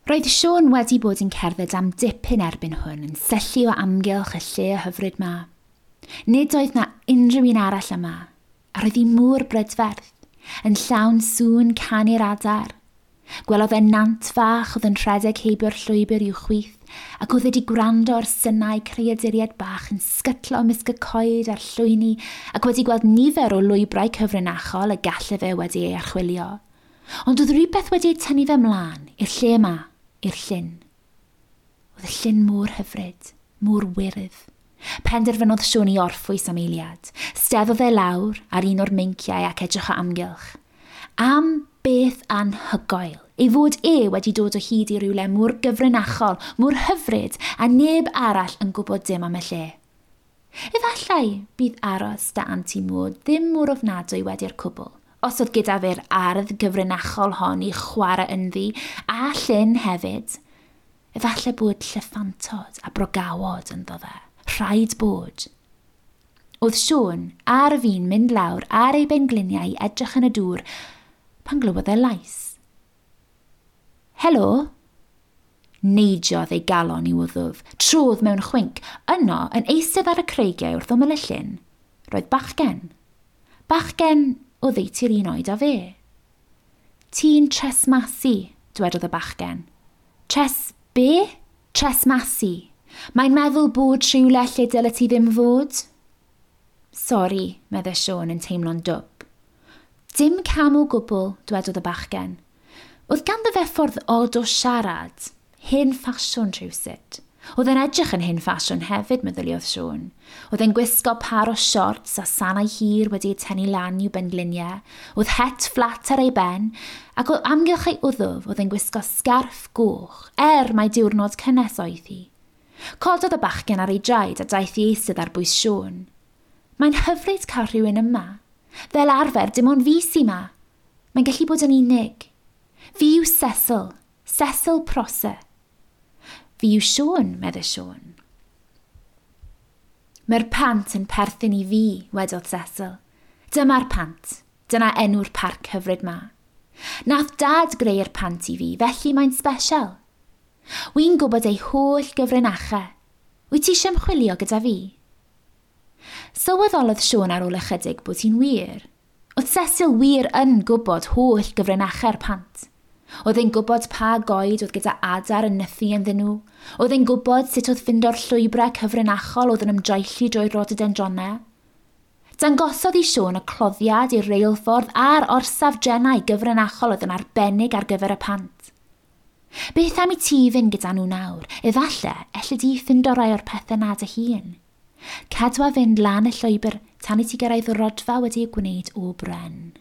Roedd Siôn wedi bod yn cerdded am dipyn erbyn hwn yn syllu o amgylch y lle hyfryd 'ma. Nid oedd 'na unrhyw un arall yma, a roedd hi mor brydferth, yn llawn sŵn canu'r adar. Gwelodd e nant fach oedd yn rhedeg heibio'r llwybr i'w chwith, ac oedd wedi gwrando ar synau creaduriaid bach yn sgytlo ymysg y coed a'r llwyni, ac wedi gweld nifer o lwybrau cyfrinachol y gallai fe wedi ei archwilio. Ond oedd rhywbeth wedi ei tynnu fe mlaen, i'r lle yma, i'r llyn. Oedd y llyn mor hyfryd, mor wyrdd. Penderfynodd Siôn i orffwys am eiliad. Steddodd e lawr ar un o'r meinciau ac edrych o amgylch. Am beth anhygoel, ei fod e wedi dod o hyd i rywle mor gyfrinachol, mor hyfryd, a neb arall yn gwybod dim am y lle. Efallai bydd aros 'da Anti Maud ddim mor ofnadwy wedi'r cwbl, os oedd gyda fe'r ardd gyfrinachol hon i chwarae ynddi, a llyn hefyd. Efallai bod llyffantod a brogawod ynddo fe. Rhaid bod. Oedd Siôn ar fin mynd lawr ar ei bengliniau i edrych yn y dŵr pan glywodd e lais. Helo! Neidiodd ei galon i'w wddf, trodd mewn chwinc. Yno, yn eistedd ar y creigiau wrth ymyl y llyn, roedd bachgen. Bachgen oddeutu'r un oed â fe. Ti'n tresmasu, dwedodd y bachgen. Tres be? Tresmasu. Mae'n meddwl bod rhywle lle dyle ti ddim fod. Sori, meddai Siôn yn teimlo'n dwp. Dim cam o gwbl, dwedodd y bachgen. Oedd ganddo fe ffordd od o siarad, hen ffasiwn rhywsut. Oedd e'n edrych yn hen ffasiwn hefyd, meddyliodd Siôn. Oedd e'n gwisgo par o siorts a sanau hir wedi eu tynnu lan i'w bengliniau. Oedd het fflat ar ei ben, ac o amgylch ei wddf oedd e'n gwisgo sgarff goch, er mai diwrnod cynnes oedd hi. Cododd y bachgen ar ei draed a daeth i eistedd ar bwys Siôn. Mae'n hyfryd cael rhywun yma. Fel arfer, dim ond fi sy 'ma. Mae'n gallu bod yn unig. Fi yw Cecil, Cecil Prosser. Fi yw Siôn, meddai Siôn. Mae'r pant yn perthyn i fi, wedodd Cecil. Dyma'r pant. Dyna enw'r parc hyfryd 'ma. Nath Dad greu'r pant i fi, felly mae'n sbesial. Wi'n gwybod ei holl gyfrinachau. Wyt ti eisiau ymchwilio gyda fi? Sylweddolodd Siôn ar ôl ychydig bod hi'n wir. Oedd Cecil wir yn gwybod holl gyfrinachau'r pant. Oedd e'n gwybod pa goed oedd gyda adar yn nythu ynddyn nhw. Oedd e'n gwybod sut oedd ffindo'r llwybrau cyfrinachol oedd yn ymdroelli drwy'r rhododendronau. Dangosodd i Siôn y cloddiad i'r reilffordd a'r orsaf drenau gyfrinachol oedd yn arbennig ar gyfer y pant. Beth am i ti fynd gyda nhw nawr? Efalle, elli di ffindo rai o'r pethau 'na dy hun. Cadwa fynd lan y llwybr tan i ti gyrraedd rhodfa wedi ei gwneud o bren.